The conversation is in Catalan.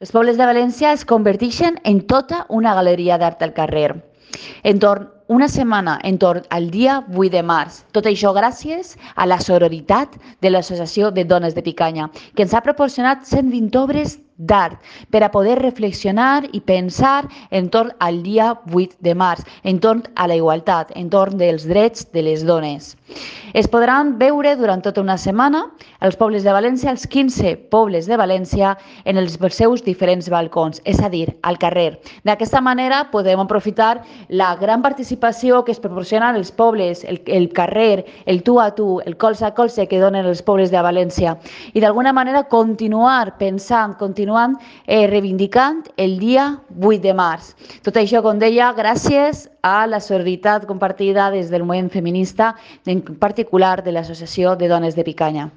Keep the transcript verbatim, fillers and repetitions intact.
Els pobles de València es converteixen en tota una galeria d'art al carrer. Entorn una setmana entorn al dia vuit de març. Tot això gràcies a la sororitat de l'Associació de Dones de Picanya, que ens ha proporcionat cent vint obres d'art per a poder reflexionar i pensar entorn al dia vuit de març, entorn a la igualtat, entorn dels drets de les dones. Es podran veure durant tota una setmana els pobles de València, els quinze pobles de València, en els seus diferents balcons, és a dir, al carrer. D'aquesta manera podem aprofitar la gran participació que es proporcionen els pobles, el, el carrer, el tu a tu, el colze a colze que donen els pobles de València i d'alguna manera continuar pensant, continuant eh, reivindicant el dia vuit de març. Tot això, com deia, gràcies a la sororitat compartida des del moviment feminista, en particular de l'Associació de Dones de Picanya.